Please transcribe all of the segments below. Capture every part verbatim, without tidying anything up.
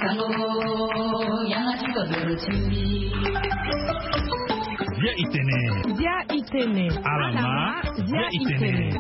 Bia itene. Bia itene. Alama. Bia itene.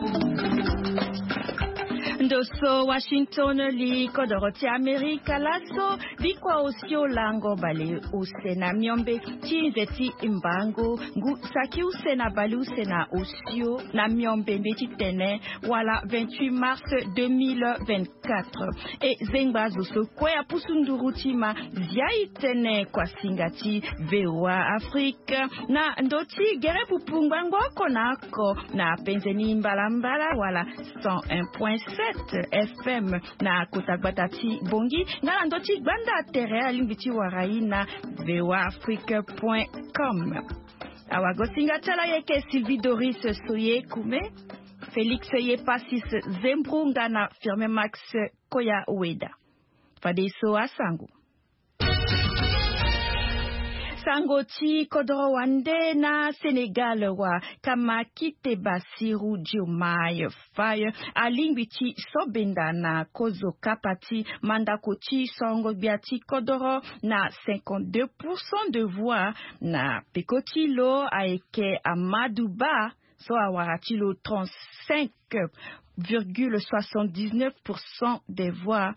Ndo so Washington, li kodoro ti Amerika laso. Bikua osio lango bale use na miombe ti nze ti mbango ngu saki use na bale use na osio na miombe mbe ti tene wala vingt-huit mars deux mille vingt-quatre. E zengba zo so kue apusu nduru ti ma. Zia itene kuasinga ti VOA Afrique na ndo ti gere pupu ngbangbo oko na oko na penze ni mbalambala wala cent un point sept F M na kota gbata ti Bongi nga na ndo ti gbanda tere alingbi ti wara ye na VOA Afrique point com. Awagosinga ti ala yeke Sylvie Doris Soye Kume, Félix Yepasis Zembru nga na Firmin Max Koya Weda. Fadeso asango. Sango ti kodoro wande na Sénégal wa kamakite Bassirou Diomaye Faye alingbi ti so benda na kozo kapa ti mandako ti sorongo gbia ti kodoro na cinquante-deux pour cent de voix na peko ti lo ayeke Amadou Ba so awara ti lo trente-cinq virgule soixante-dix-neuf pour cent des voix.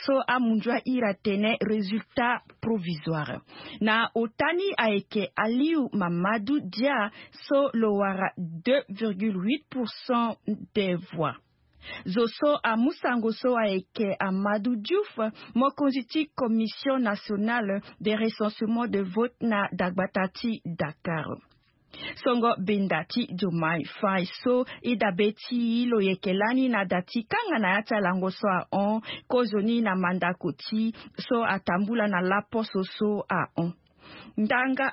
So amunzu ahira tene résultat provisoire. Na ota ni ayeke Aliou Mamadou Dia so lo wara deux virgule huit pour cent des voix. Zo so amu sango so ayeke Amadou Diouf, mokonzi ti Commission nationale de recensement de vote na dagbata ti Dakar. Songo benda ti Diomaye Faye so e dabe ti lo yeke lani na da ti kanga na ya ti alango so ahon kozoni na mandako ti so atambula na laposo so ahon. Ndanga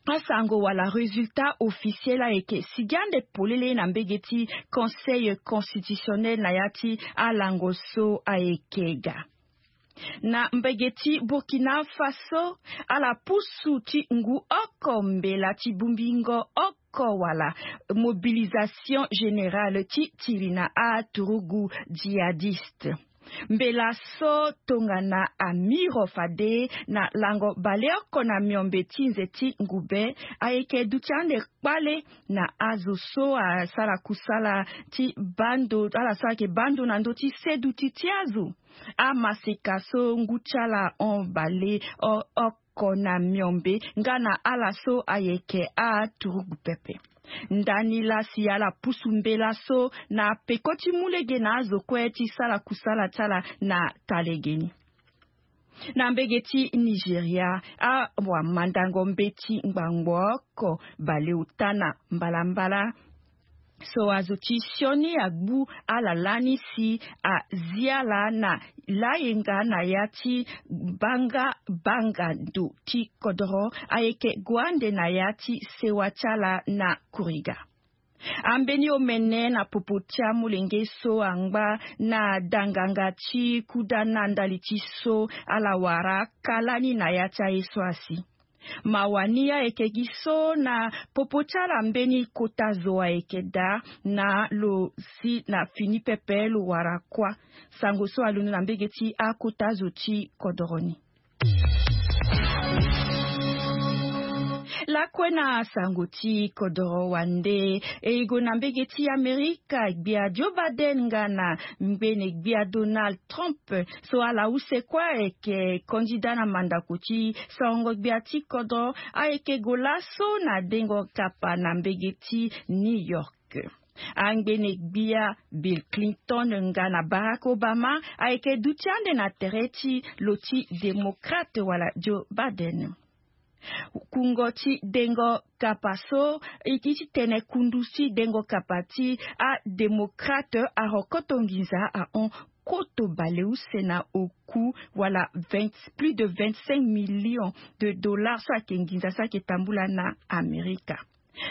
asango wala résultat officiel ayeke sigi ande polele na mbege ti Conseil constitutionnel na ya ti alango so ayeke ga. Na mbege ti Burkina Faso, ala pusu ti ngu oko mbela ti bongbingo oko wala mobilisation générale ti tiri na aturugu djihadiste. Mbela so tongana amiro fade na lango baleoko na miombe ti nze ti ngube ayeke duti ande kpale na azo so asara kusala ti bando ala so ayeke bando na ndö ti seduti ti azo. Amaseka so ngu ti ala hon bale oko na miombe nga na ala so ayeke aturugu pepe. Ndani lasi ala pusu mbela so na peko ti mu lege na azo kue ti sara kusala ti ala na talegeni. Na mbege ti Nigeria, awamandango mbeti ngbangbo oko baleota na mbalambala so azo ti sioni agbu ala lani si azi ala na layenga na ya ti banga banga ndo ti kodoro ayeke gue ande na ya ti sewa ti ala na kuriga. Ambeni omene na popo ti amolenge so angba na danganga ti kuda na ndali ti so ala wara kâ lani na ya ti aye so asi. Mawa ni ayeke gi so na popo ti ala mbeni kota zo ayeke daa na lo si na fini pepe lo wara kuâ. Sango so alondo na mbege ti akota zo ti kodoro ni. Lakue na sango ti kodoro wande e gue na mbege ti Amerika, gbia Joe Biden nga na ngbene gbia Donald Trump so ala use kue ayeke kandida na mandako ti sorongo gbia ti kodro ayeke gue laso na dengo kapa na mbege ti New York. Angbene gbia Bill Clinton nga na Barack Obama ayeke duti ande na tere ti lo ti démocrate wala Joe Biden. Kungo ti dengo kapa so e ti tene kundu ti dengo kapa ti adémocrate arokoto nginza ahon koto baleuse na oku wala vingt plus de vingt-cinq millions de dollars so ayeke nginza so ayeke tambula na Amerika.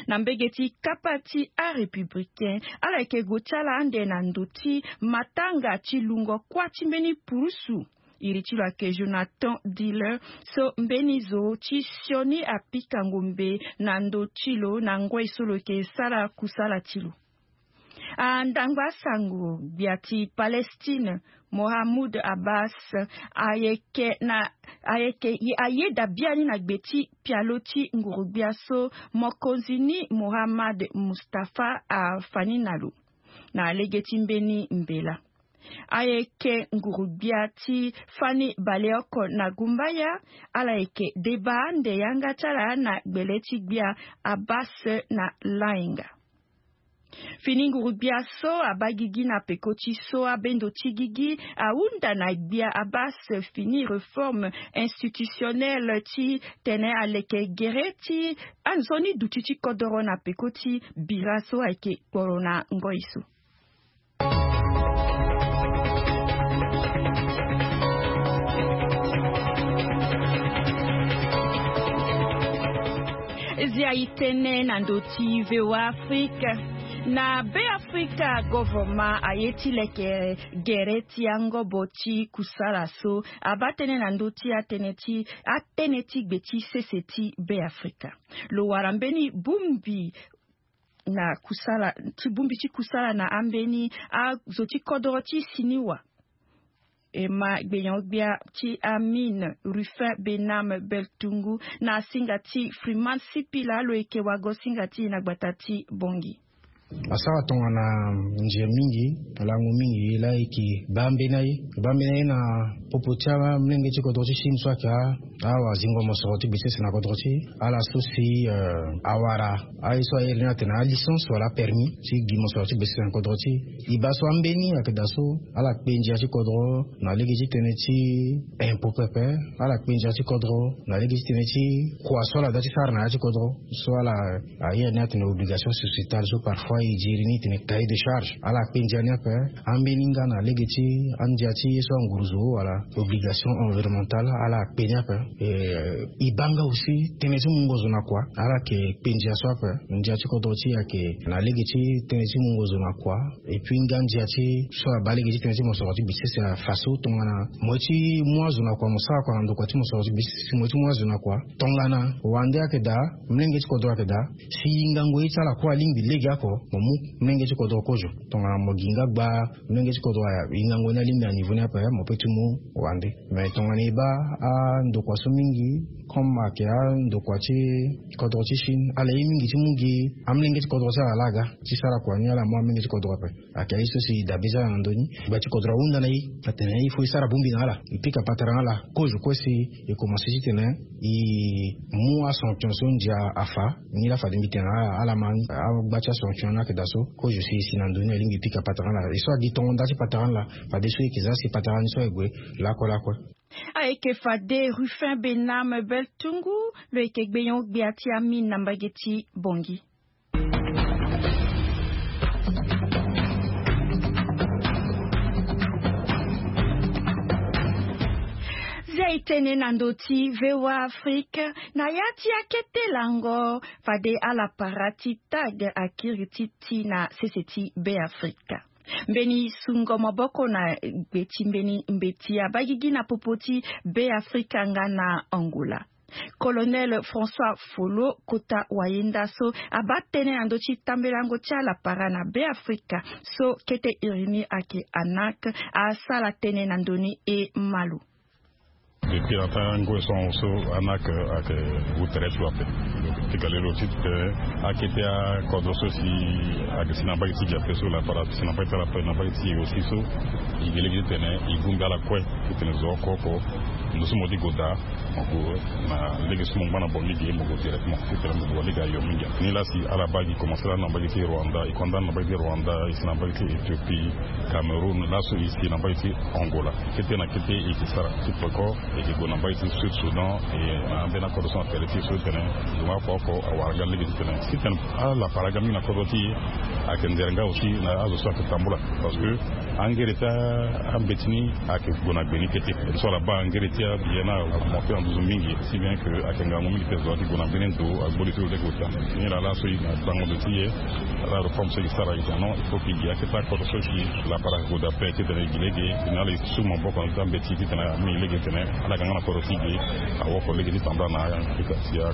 Na mbege ti kapa ti arépublicain ala yeke gue ti ala ande na ndo ti matanga ti lungo kuâ ti mbeni purusu. Iri ti lo ayeke Jonathan Diller so mbeni zo ti sioni apika ngombe na ndo ti lo na ngoi so lo yeke sara kusala ti lo. Andangba sango gbia ti Palestine, Mohamoud Abbas, ayeke na ayeke ayeda biani na gbe ti pialo ti nguru-gbia so mokonzi ni Mohammad Mustafa afa ni na lo na lege ti mbeni mbela. Ayeke nguru-gbia ti fani baleoko na gumbaya. Ala yeke deba ande yanga ti ala na gbele ti gbia Abbas na lainga. Fini nguru-gbia so abaa gigi na peko ti so abendo ti gigi ahunda na gbia Abbas fini réforme institutionnelle ti tene aleke gere ti anzoni duti ti kodoro na peko ti bira so ayeke kporo na ngoi so. Zia itene na ndo ti VOA Afrique. Na Be Afrika, government aye ti leke gere ti angobo ti kusala so abaa tënë na ndo ti atënë ti atënë ti gbe ti sese ti Be Afrika. Lo wara mbeni bongbi na kusala ti bongbi ti kusala na ambeni azo ti kodoro ti siniwa. E ma gbenyo-gbia ti Amine Ruffin Bename Beltungu na singa ti Freeman Sipila lo yeke wago singa ti e na gbata ti Bongi. Asara tongana ndia mingi, lango mingi la e yeke baa mbeni aye, baa mbeni aye na popo ti amolenge ti kodro ti Chine so ayeke a awazingo mosoro ti gbe sese na kodro ti e. Ala so si awara aye so airi ni atene alicence wala apermis ti gi mosoro ti gbe sese na kodro ti e. E baa so ambeni ayeke daa so ala kpe ndia ti kodro na lege ti tënë ti impôt pepe. Ala kpe ndia ti kodro na lege ti tënë ti kua so ala daa ti sara na ya ti kodro so ala aye ni atene obligation sociétale so parfois e diri ni tene cahier de charge. Ala kpe ndia ni ape. Ambeni nga na lege ti andia ti ye so anguruzo wala obligation environnementale, ala kpe ni ape. E baa nga aussi tënë ti mungo zo na kua. Ala yeke kpe ndia so ape. Ndia ti kodro ti e ayeke na lege ti tënë ti mungo zo na kua. Et puis nga ndia ti so abaa lege ti tënë ti mosoro ti gbe ti sese afa so tongana mo ye ti mu azo na kua, mo sara kua na ndokua ti mosoro ti gbe ti sese, mo ye ti mu azo na kua. Tongana wande ayeke daa, molenge ti kodro ayeke daa, si yingango ye ti ala kue alingbi legeoko, mo mu molenge ti kodro kozo. Tongana mo gi nga gba molenge ti kodro, yingango ni alingbi na niveau ni ape, mo peut ti mu wande. Mais tongana e baa andokua so mingi, comme ayeke andokua ti kodro ti Chine, ala ye mingi ti mu gi amolenge ti kodro ti ala laa aga ti sara kua ni, ala mu amolenge ti kodro ape. Ayeke aye so si dabe ti ala na ndö ni. Gba ti kodro ahunda na e atene il faut e sara bongbi na ala, e pika patara na ala kozo kue si e komanse titene e mu asanction so ndia afa. Ni laa fade mbi tene na ala, ala ma ni. Agba ti asanction ni ayeke daa so kozo si e si na ndö ni, alingbi e pika patara na ala. E so agi tongo nda ti patara na ala, fadeso e yeke za si patara ni so aye gue lakue lakue. Ayeke fade Ruffin Bename Beltungu, lo yeke gbenyo-gbia ti Amine na mbage ti Bongi. Zia e tene na ndö ti VOA Afrique, na ya ti akete lango fade ala para ti tag akiri ti ti na sese ti Be Afrika. Mbeni sungo maboko na gbe ti mbeni mbeti abaa gigi na popo ti Be Afrika nga na Angola. Colonel François Folo kota wayenda so abaa tënë na ndö ti tambelango ti ala para na Be Afrika so kete iri ni ayeke ANAC, asara tënë na ndö ni. E ma lo. Depuis ata ngoi so ahon so ANAC ayeke gu tere ti lo ape. Ti ga lelo ti tene akete akodro so si ayeke si na mbage ti gi ape so, la para si na mbage ti ala ape, na mbage ti e aussi so e gi lege ti tene e gumbi ala kue ti tene zo oko oko. Ndo so mo ti go daa, mo go na lege so mo ngba na Bongi ge, mo go directement ti tene mo go wali ga yo mingi. Ni laa si ala baa gi komanse laa na mbage ti Rwanda, e kue nda na mbage ti Rwanda, e si na mbage ti Éthiopie, Cameroun, laso e si na mbage ti Angola. Kete na kete e yeke sara ti peko, e yeke gue na mbage ti Sud Soudan, e na ambeni akodro so na tere ti e so ti tene zo nga oko oko awara nga lege ti tene. Si tene ala para ga mingi na kodro ti e, ayeke nzere nga aussi na azo so ayeke tambula. Parce que angere ti ambeti ni ayeke gue na gbe ni kete. So ala baa angere ti Abiye na amonte na nduzu mingi, si bien que ayeke ngangu mingi ti zo ti gue na mbeni ndo, agbo li ti lo lege ota. Nilaa laso e na bango ndo ti e. Ala reforme so e ke sara e tene non, il faut que e gi akete akodro so e ke lapara gue daa ape titene e gi lege. Titene ala e su maboko na ndö ti ambeti titene ameni lege titene ala yeke nga na kodro ti e ge, awoko lege ti tambula na afrika si a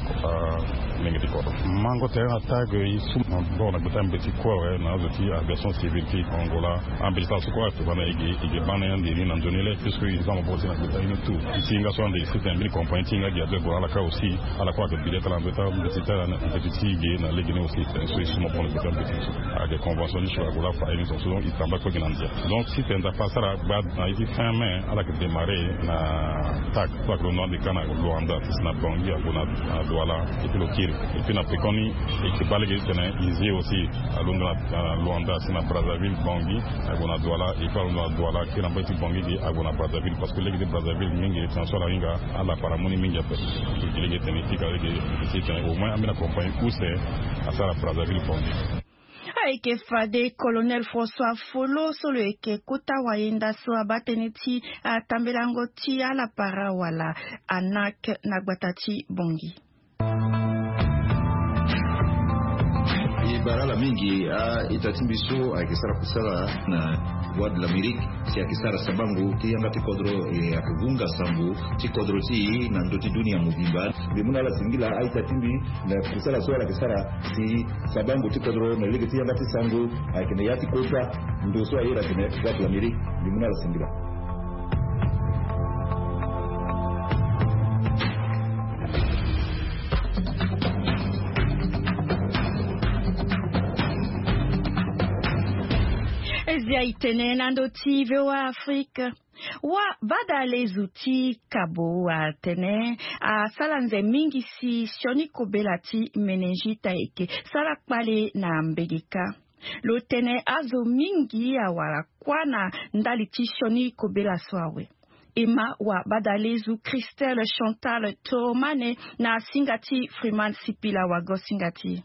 lenge ti kodro. Mango tere na tag e su maboko na gbe ti ambeti kue awe na azo ti aviation civile ti Angola. Ambeti ti ala so kue ayeke baa na e ge, e ge baa na e ande ni na nzoni le puisque e za maboko ti e na gbe ti ala ni tout. E ti hinga so ande e sitene mbeni compagnie ti hinga gi azo e gue na ala kâ aussi. Ala kue ayeke bile ti ala na ndö ti ambeti ti ala na mbeti ti e ge na lege ni aussi. Tene so e su maboko na gbe ti ambeti so ayeke convention ni so ague laa fa aye ni so so e tambula kue gi na ndia. Donc sitene Nzapa asara gba na ye ti fin mai ala yeke démarrer na tag so ayeke londo ande kâ na Luanda ti si na Bangui ague na Douala. Et puis lo kiri. Et puis na pekoni e yeke baa lege titene e zi e aussi alondo na Luanda si na Brazzaville, Bangui ague na Douala. Et puis alondo na Douala kiri na mbage ti Bangui ge ague na Brazzaville parce que lege ti Brazzaville mingi tene so ala hinga ala para mu ni mingi ape. E gi lege titene e pika lege e si titene au moins ambeni compagnie use asara Brazzaville, Bangui. Ayeke fade Colonel François Folo so lo yeke kota wayenda so abaa tënë ti atambelango ti ala para wala ANAC na gbata ti Bangui. E bara ala mingi a-ita ti mbi so ayeke sara kusala na Voix de l'Amérique si ayeke sara sabango ti yanga ti kodro, e ayeke gunga sango ti kodro ti e na ndö ti dunia mobimba. Mbi mu na ala singila a-ita ti mbi na kusala so ala yeke sara si sabango ti kodro na lege ti yanga ti sango ayeke na ya ti kota ndo so aye na tene Voix de l'Amérique. Mbi mu na ala singila. Zia e tene na ndö ti VOA Afrique. Wa badalezu ti kabo atene asara nze mingi si sioni kobela ti meningite ayeke sara kpale na mbege kâ. Lo tene azo mingi awara kuâ na ndali ti sioni kobela so awe. E ma wa badalezu Christelle Chantal Toromane na singa ti Freeman Sipila wago singa ti e.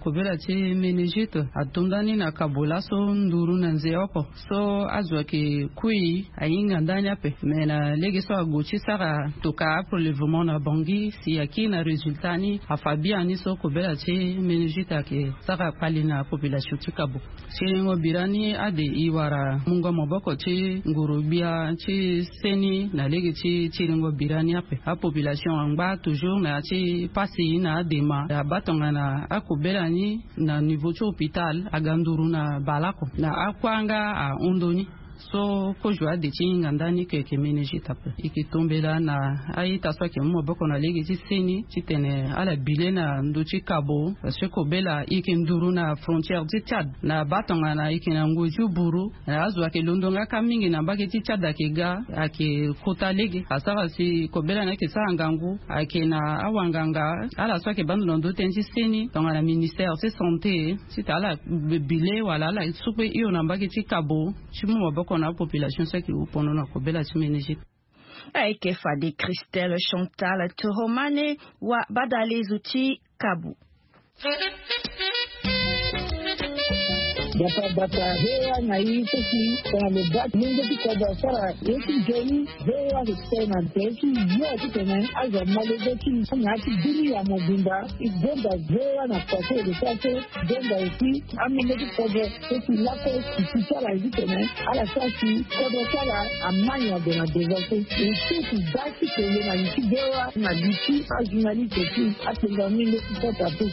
Kobela ti meningite ato ndani na kabo laso nduru na nze oko so azo ayeke kui ahinga ndani ape. Me na lege so ague ti sara tokua aprelèvement na Bangui si akiri na résultat ni afa biani so kobela ti meningite ayeke sara kpale na population ti kabo. Siringo bira ni ade e wara mungo maboko ti nguru gbia ti seni na lege ti siringo bira ni ape. Apopulation angba toujours na ya ti pasi na adema abaa tongana akobela ni na niveau ti hôpital aga nduru na baleoko na akuâ nga ahon ndo ni. So kozo ade ti hinga ndani ke yeke meningite ape. E yeke tombela na a-ita so ayeke mu maboko na lege ti seni titene ala bi le na ndö ti kabo parce que kobela e yeke nduru na frontière ti Tchad na baa tongana e yeke na ngoi ti buru. Na azo ayeke londo nga kâ mingi na mbage ti Tchad ayeke ga ayeke kota lege asara si kobela ni ayeke sara ngangu ayeke na awanganga ala so ayeke baa ndo na ndö tënë ti seni tongana ministère ti santé titene ala bi le wala ala su kue hio na mbage ti kabo ti mu maboko na apopulation so ayeke wu pono na kobela ti meningite. Ayeke fade Christelle Chantal Toromane wa badalezu ti kabo. Bata bata hewa na ye so si tongana lo baa mungo ti kodro asara ye ti nzoni. Hewa ayeke tene na nze ti yo titene azo amolenge ti na ya ti dunia mobimba. E gonda hewa na pase e lo sara so. Donda aussi amolenge ti kodro so si lakue si si ti ala ye titene ala sara si kodro ti ala amai na gue na devant so. E so si baa ti kele na li ti hewa na li ti ajournaliste ti apenga mingi ti kota pe.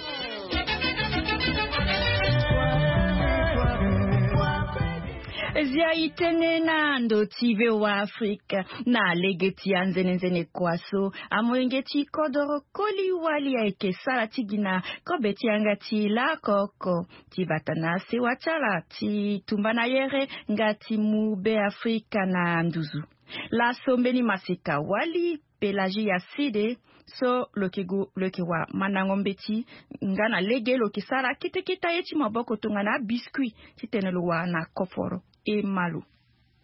Zia e tene na ndo ti VOA Afrique na lege ti anzenenzene kua so amolenge ti kodoro koli wali ayeke sara ti gi na kobe ti yanga ti laoko oko ti bata na sewa ti ala ti tumba na yere nga ti mu Be Afrika na nduzu. Laso mbeni maseka wali Pelagie ya sede so lo yeke gue lo yeke wara mandango mbeti nga na lege lo yeke sara kete kete aye ti maboko tongana abiscuit titene lo wara na koforo. E ma lo.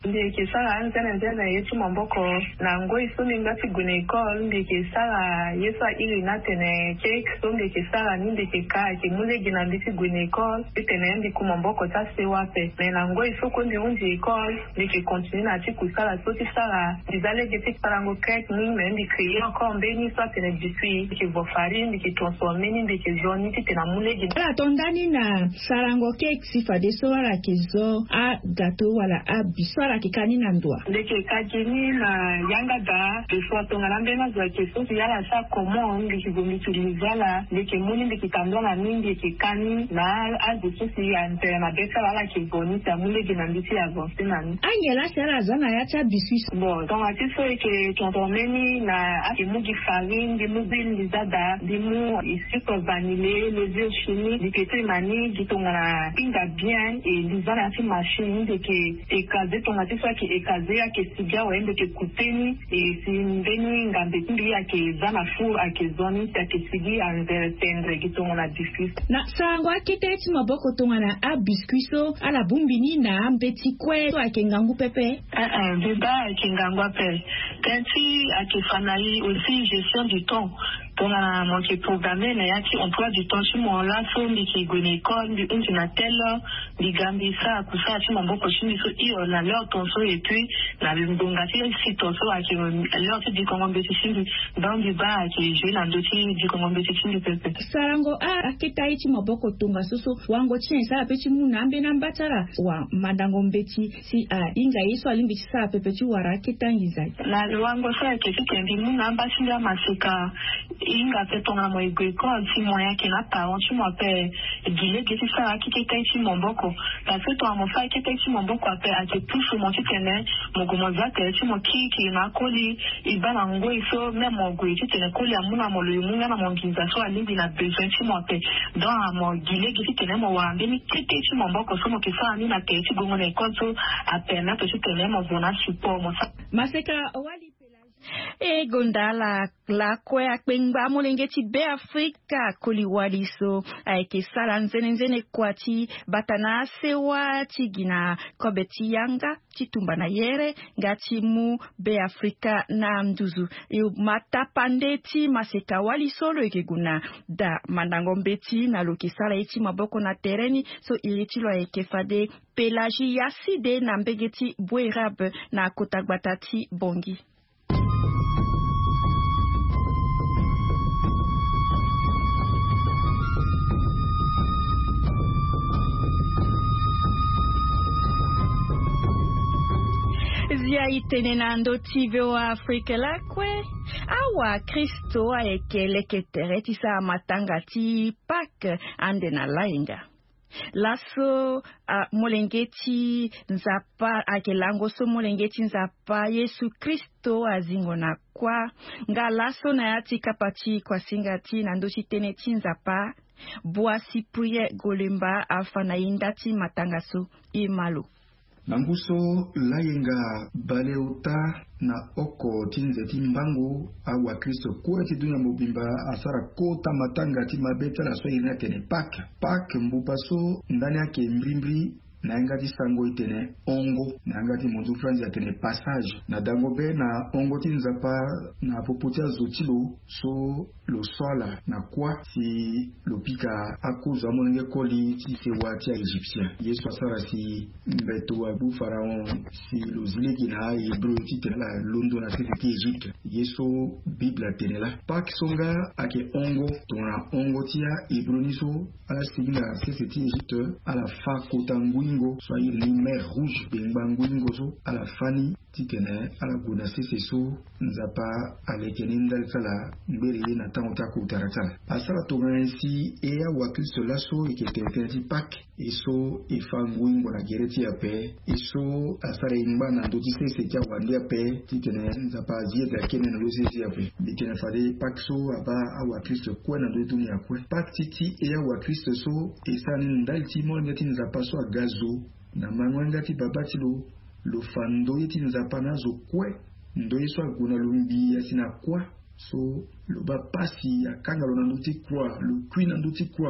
Mbi yeke sara anzene nzene na ye ti maboko. Na ngoi so mbi nga ti gue na école, mbi yeke sara ye so airi ni atene cake so mbi yeke sara ni, mbi yeke ka ayeke mu lege na mbi ti gue na école titene mbi ku maboko ti asewa ape. Mais na ngoi so kue mbi hundi école, mbi yeke continuer na ti kusala so ti sara. Mbi za lege ti sarango cake ni, mais mbi créer encore mbeni so atene biscuit. Mbi yeke vo farine, mbi yeke transformer ni, mbi yeke zo ni titene amu lege. Ala to ndani na sarango cake si fadeso ala yeke zo agateau wala abiscuit, so ala yeke ka ni na ndo wa? Mbi yeke ka gi ni na yanga daa. Des fois tongana ambeni azo ayeke so si ala sara comment, mbi yeke gue mbi yeke liza ala, mbi yeke mu ni, mbi yeke tambula na ni, mbi yeke ka ni na azo so si atene na be ti ala, ala yeke vo ni si amu lege na mbi ti avancer na ni. Ange laa si ala za na ya ti abiscuit? Bon, tongana ti so e yeke transformer ni na, ayeke mu gi farine, mbi mu huile, mbi za daa, mbi mu sucre vanillé, levure chimique, mbi yeke tene na ni gi tongana hinga bien, e mbi za na ya ti machine, mbi yeke écraser. Tongana ti so ayeke écraser, ayeke sigi awe, mbi yeke couper ni, e si mbeni ngambe ti mbi ayeke za na four, ayeke zo ni si ayeke sigi anzere tendre gi tongana biscuit. Na sarango akete ti maboko tongana abiscuit so, ala bongbi ni na ambeti kue so ayeke ngangu pepe? Eh, eh, mbi baa ayeke ngangu ape. Tënë ti ayeke fa na e aussi gestion du temps. Tongana mo yeke programmer na ya ti emploi du temps ti mo, laso mbi yeke gue na école, mbi hundi na telle heure, mbi ga mbi sara kusala ti maboko ti mbi so hio na l'heure ton so, et puis na ngonga ti si ton so ayeke l'heure ti dikongo mbeti ti mbi. Donc mbi baa ayeke jouer na ndö ti dikongo mbeti ti mbi pepe. Sarango a, akete ye ti maboko tongaso so, wango ti nyen si ala pe ti mu na ambeni amba ti ala wa mandango mbeti si ahinga ye so alingbi ti sara pepe ti wara akete anginza? Na lo wango so ayeke titene mbi mu na amba ti mbi amaseka. E hinga ape tongana mo e gue école, si mo yeke na aparent ti mo ape, gi lege ti sara akete ye ti maboko. Parce que tongana mo sara akete ye ti maboko ape, ayeke pusu mo titene mo gue mo za tere ti mo kirikiri na akoli. E baa na ngoi so même mo gue titene koli amu na mo, lo e mu nga na mo nginza so alingbi na besoin ti mo ape. Donc mo gi lege titene mo wara mbeni kete ti maboko so mo yeke sara ni na tere ti gongo na école so apermettre titene mo zo na support mo sara. Maseka Wali Pelagie. E gonda ala lakue akpengba amolenge ti Beafrika koli wali so ayeke sara nzene nzene kua ti bata na asewa ti gi na kobe ti yanga ti tumba na yere nga ti mu Beafrika na nduzu. E ma tapande ti maseka wali so lo yeke gue na da mandango mbeti na lo yeke sara ye ti maboko na tere ni so iri ti lo ayeke fade Pelagie Yacide na mbege ti Boerab na kota gbata ti Bangui. Zia e tene na ndö ti V O A Afrique lakue, awakristo ayeke leke tere ti sara matanga ti Pâques ande na layenga. Laso, ah, molenge ti Nzapa ayeke lango so molenge ti Nzapa Yesu Kristo azingo na kuâ. Nga laso na ya ti kapa ti kuasinga ti na ndö ti tënë ti Nzapa, Bua Cyprien Golemba afa na e nda ti matanga so. E ma lo. Na ngu so layenga baleota na oko ti nze ti mbango, awakristo kue ti dunia mobimba asara kota matanga ti mabe ti ala so airi ni atene Pâques. Pâques mbuba so ndani ayeke mbrimbri na yanga ti sango e tene hongo, na yanga ti monzu franzi atene passage. Na dango be na hongo ti Nzapa na popo ti azo ti lo so lo so ala na kuâ si lo pika akozo amolenge koli ti sewa ti a-Égyptien. Ye so asara si mbeto agbu Pharaon si lo zi lege na a-Hébreu titene ala londo na sese ti Égypte. Ye so Bible atene laa. Pâques so nga ayeke hongo, tongana hongo ti a-Hébreu ni so ala sigi na sese ti Égypte, ala fâ kota nguingo so airi ni mer Rouge, bengba nguingo so ala fâ ni titene ala gue na sese so Nzapa aleke ni ndali ti ala ngbere ye na tango ti akota ti ala. Asara tongana nyen si e awakristo laso e yeke tene tënë ti Pâques, e so e fâ nguingo na gere ti e ape, e so asara e ngba na ndö ti sese ti awande ape titene Nzapa azi ete akene na ndö ti sese ti e ape. Mbi tene fade Pâques so abaa awakristo kue na ndö ti dunia kue. Pâques ti e awakristo so e sara ni ndali ti molenge ti Nzapa so aga zo na mango yanga ti babâ ti lo, lo fa ndoye ti Nzapa na azo kue. Ndoye so ague na lo ngbii asi na kuâ, so lo baa pasi, akanga lo na ndö ti kuâ, lo kui na ndö ti kuâ.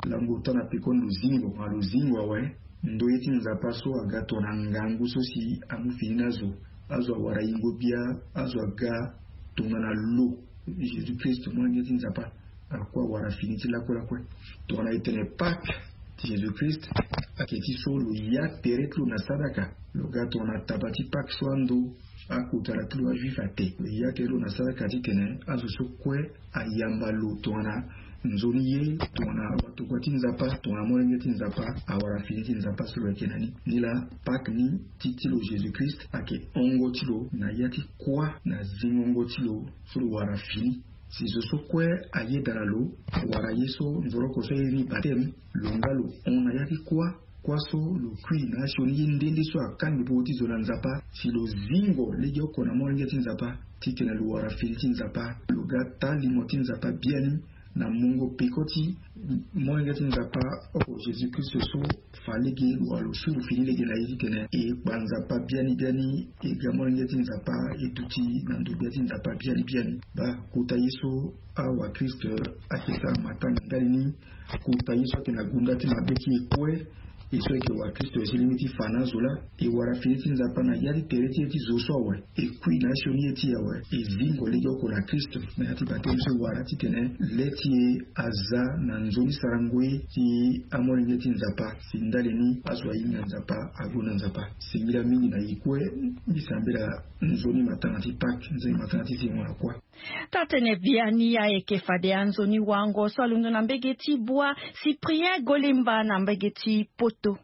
Lango ota na pekoni lo zingo, nga lo zingo awe. Ndoye ti Nzapa so aga tongana ngangu so si amu fini na azo. Azo awara yingo bia. Azo aga tongana lo. Jésus Christ, molenge ti Nzapa, akue awara fini ti lakue lakue. Tongana e tene Pâques ti Jésus Christ, ayeke ti so lo ya tere ti lo na sadaka. Lo ga tongana taba ti Pâques so ando akota na ti lo ajuif ate. Lo ya tere ti lo na sadaka titene azo so kue ayamba lo tongana nzoni ye, tongana watokua ti Nzapa, tongana molenge ti Nzapa, awara fini ti Nzapa so lo yeke na ni. Ni laa Pâques ni ti ti lo Jésus Christ ayeke hongo ti lo na ya ti kuâ na zingongo ti lo so lo wara fini. Si zo so kue ayeda na lo, wala ye so nzoroko so airi ni bateme, lo nga lo hon na ya ti kuâ. Kuâ so lo kui na asioni ye nde nde so akangbi popo ti zo na Nzapa, si lo zingo legeoko na molenge ti Nzapa titene lo wara fini ti Nzapa, lo ga taa limo ti Nzapa biani na mungo peko ti molenge ti Nzapa oko Jésus Christ so fa lege lo wara lo suru fini lege na ye titene e kpa Nzapa biani biani, e ga molenge ti Nzapa, e duti na ndo gbia ti Nzapa biani biani. Baa kota ye so awakristo ayeke sara matanga ndali ni. Kota ye so ayeke na gunda ti mabe ti e kue, e so ayeke wakristo e sili mingi ti fa na azo laa. E wara fini ti Nzapa na ya ti tere ti e ti zo so awe. E kui na asioni ye ti e awe. E zingo legeoko na Kristo na ya ti bateme so e wara titene le ti e aza na nzoni sarango ye ti amolenge ti Nzapa. Si ndali ni azo ahinga Nzapa, ague na Nzapa. Singila mingi na e kue. Mbi sambela nzoni matanga ti Pâques, nzoni matanga ti zingo na kuâ. Taa-tënë biani ayeke fade anzoni wango so alondo na mbege ti Bua, Cyprien Golemba na mbege ti Poto.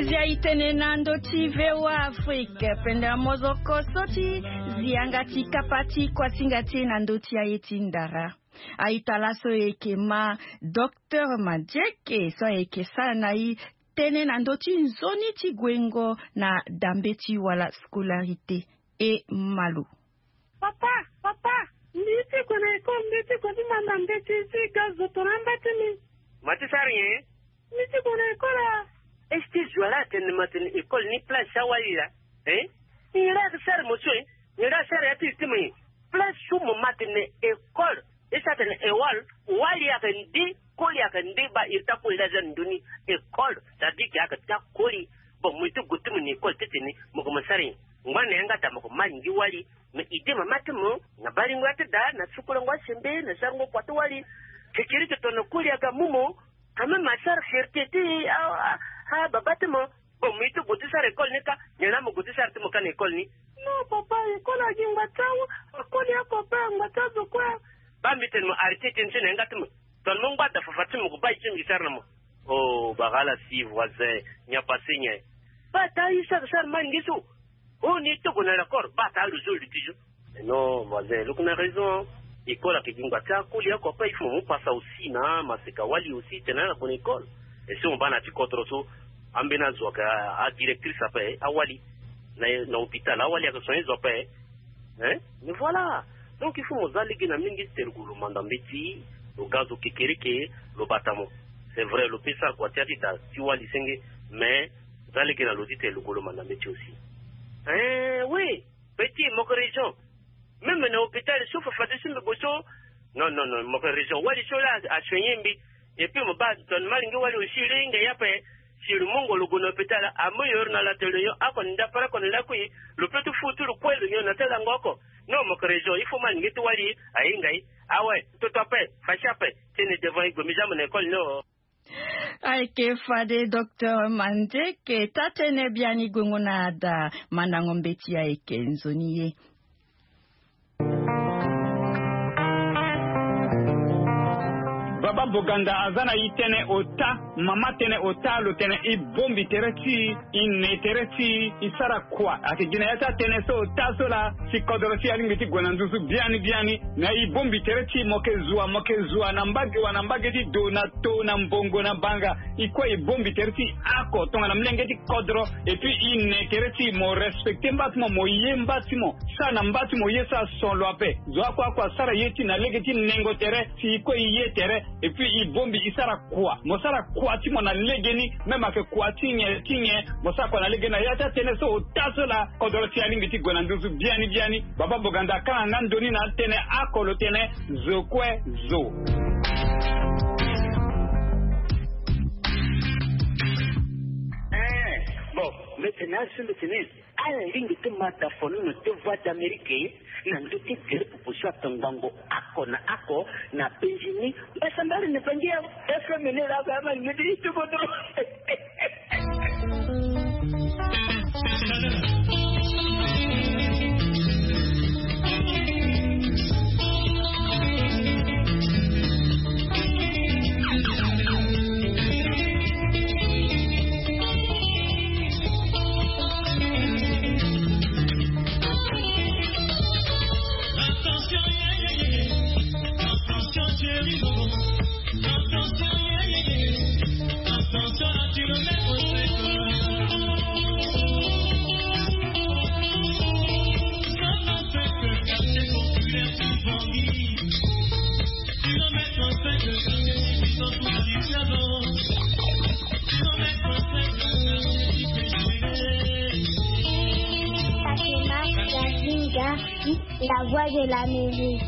Zia e tene na ndö ti V O A Afrique, pendela mozoko so ti zi yanga ti kapa ti kuasinga ti e na ndö ti aye ti ndara. Aita laso e yeke ma Docteur Madjeke so ayeke sara na e tënë na ndö ti nzoni ti guengo na dambe ti wala scolarité. E ma lo. Papa, papa, mbi ye ti gue na école, mbi ye ti gue ti manda mbeti ti ga zo tongana amba ti mbi. Ma ti sara nyen? Mbi ye ti gue na école a. Est-ce que zo ala atene ma tene école ni place ti awali laa? Hein? Nyen la ayeke sara mo so, hein? Nyen la asara ya ti li ti mo, hein? Place so mo ma tene école. E sara tene école, wali ayeke nde, koli ayeke nde, baa iri ti akoli laa aza na ndö ni. École, ça veut dire que ayeke ti akoli. Bon, mo ye ti gue ti mo na école titene mo gue mo sara nyen? Ngbani na yanga daa mo gue mo ma alingbi wali. Mais idée mama ti mo na baringo ya ti daa, na sukulango asembe, na sarango kua ti wali. Kekereke tongana koli aga amu mo, quand même asara fierté ti a, a, a baba ti mo. Bon, mo ye ti gue ti sara école ni kâ, nyen la mo gue ti sara ti mo kâ na école ni? Non papa, école agi ngba ti awa, akoli ako ape, ngba ti azo kue. Baa mbi tene mo arrêté tënë so na yanga ti mo. Tongana mo ngba da fafa ti mo, mo gue baa ye ti mbi sara na mo. Oh, bagala si voisin, nyen apasé nyen? Baa taa ye so ayeke sara ma alingbi so. Oh, ni ti gue na l'école, baa taa lo zo lo ti zo. Mais non voisin, lo yeke na raison. École ayeke gi ngba ti akoli ako ape, il faut mo mu pasa aussi na maseka wali aussi titene ala gue na école. Et si mo baa na ya ti kodro so, ambeni azo ayeke adirectrice ape, awali na, na hôpital, awali ayeke soigner zo ape. Hein? Mais voilà. Donc il faut mo za lege na mingi titene lo gue lo manda mbeti, lo ga zo kekereke, lo bata mo. C'est vrai, lo peut sara kua ti ya ti da ti wali senge, mais za lege na lo titene lo gue lo manda mbeti aussi. Hein, oui. Petit, mo yeke raison. Même na hôpital so fafade so mbi gue so. Non, non, non, mo yeke raison. Wali so laa asoigner mbi. Et puis mo baa tongana ma alingbi wali aussi, lo hinga ye ape. Si lo mungo lo gue na hôpital, amu yoro na la tene lo nyon oko na ndapara oko na lakui, lo peut ti fu ti lo kue lo nyon na ti lango oko. Non, mo yeke raison, il faut ma alingbi ti wali ahinga ye. Awe, toto ape, fachi ape. Tene devant e gue mbi za mo na école ni o. Ayeke fade docteur Mandeke, taa-tënë biani guengo na ada mandango mbeti ayeke nzoni ye. Baba Boganda aza na e tënë ota. Mama tene ota lo tene e bongbi tere ti e, e ne tere ti e, e sara kua. Ayeke gi na ya ti atene so ota so laa si kodoro ti e alingbi ti gue na nduzu biani biani. Na e bongbi tere ti e, mo yeke zua, mo yeke zua na mbage wa, na mbage ti do, na to, na mbongo, na banga. E kue e bongbi tere ti e oko tongana molenge ti kodoro. Et puis e ne tere ti e, mo respecter mba ti mo, mo ye mba ti mo. Sara na mba ti mo ye, sara son lo ape. Zo oko oko asara ye ti e na lege ti nengo tere si e kue e ye tere. Et puis e bongbi e sara kua. Mo sara kua ti mo na legeni. Même ayeke kua ti nyen ti nyen, mo sara kua na legeni. Na ya ti atene so ota so laa kodoro ti e alingbi ti gue na nduzu biani biani. Baba Boganda akanga nga ndoni na atene oko lo tene zo kue zo. Eh, bon, mbi tene azo mbi tene. Ala lingbi ti ma da fonono ti Voix d'Amérique na ndö ti gere pupu so ato ngbongo oko na oko na penzi ni. Mbasambala ni bangi ya F M ni laa ama lingbi ti ti kodoro. Fatima Zazinga, la voix de l'Amérique.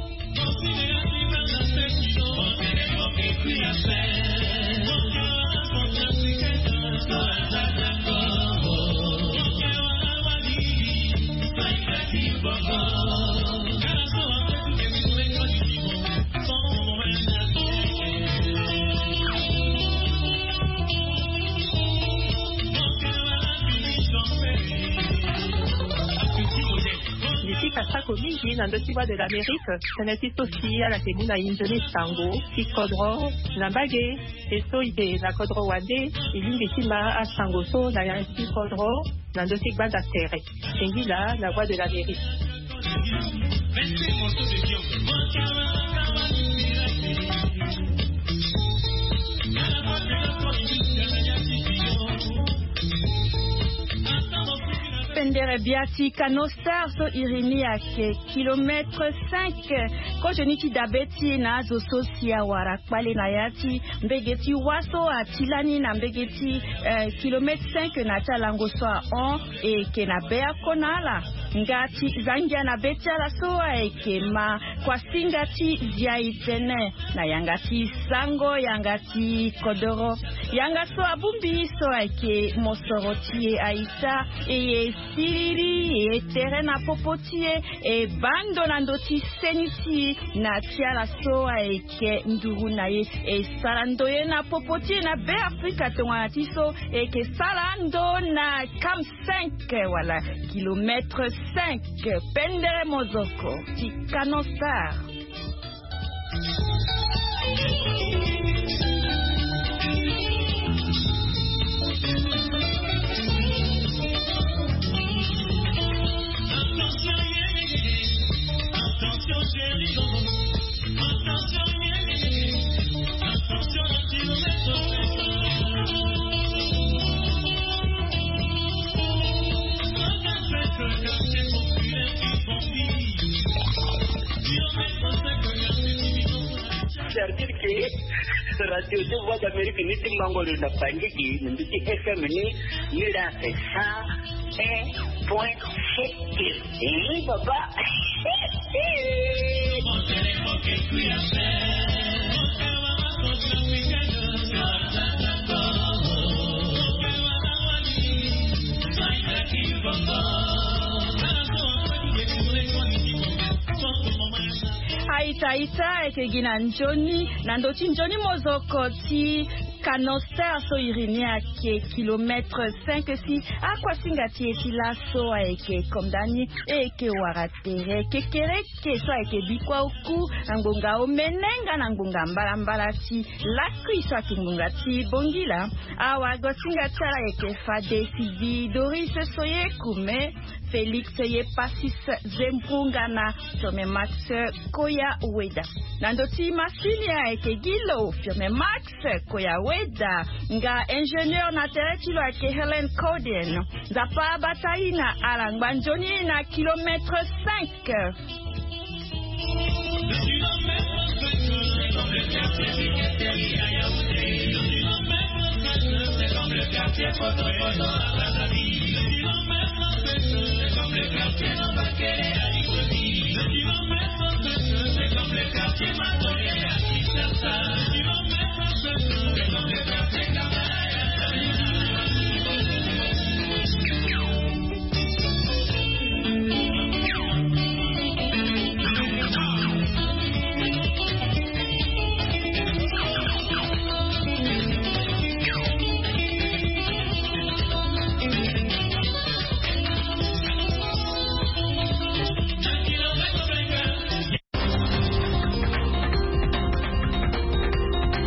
Mbi fika sako mingi na ndö ti Voix de l'Amérique, tënë ti so si ala yeke mu na e nzoni sango ti kodro na mbage. E so e yeke na kodro wande, e lingbi ti ma asango so na ya ti kodro na ndö ti gbanda tere. Singila na Voix de l'Amérique. Pendere bia ti Kano Star so iri ni ayeke kilomètre cinq. Kozoni ti dabe ti e na azo so si awara kpale na ya ti mbege ti wâ so ati lani na mbege ti, eh, kilomètre cinq na ti alango so ahon. E yeke na be oko na ala. Nga ti zangia na be ti ala so ayeke ma kuasinga ti zia e tënë na yanga ti sango, yanga ti kodoro. Yanga so abongbi so ayeke mosoro ti e aita, e ye siriri, e ye tere na popo ti e, e baa ndo na ndö ti seni ti e na ti ala so ayeke nduru na e. E sara ndoye na popo ti e na Be Afrika tongana ti so e yeke sara ndo na kam cinq wala kilomètre cinq. Pendere mozoko ti Kano Star. C'est-à-dire que radio de Voix d'Amérique ni ti mango lo na Bangui, ni ti F M ni, ni la c'est cent un point sept. Eh, papa. Aita, aita, e yeke gi na nzoni, na ndö ti nzoni mozoko ti Canoster so iri ni ayeke kilomètre cinq si akuasinga ti e ti laso ayeke kondani e yeke wara tere kekereke so ayeke bikua oku na ngbonga omene nga na ngbonga mbalambala ti lakui so ayeke ngbonga ti bongila. Awagosinga ti ala ayeke fade sidi doris soye kume, félix ye pasis zembrunga na firme max koya weda. Na ndo ti masini ayeke gi lo firme max koya weda. Nga ingénieur na tere ti lo ayeke helen codin. Nzapa abata i na ala ngba nzoni na kilomètre cinq.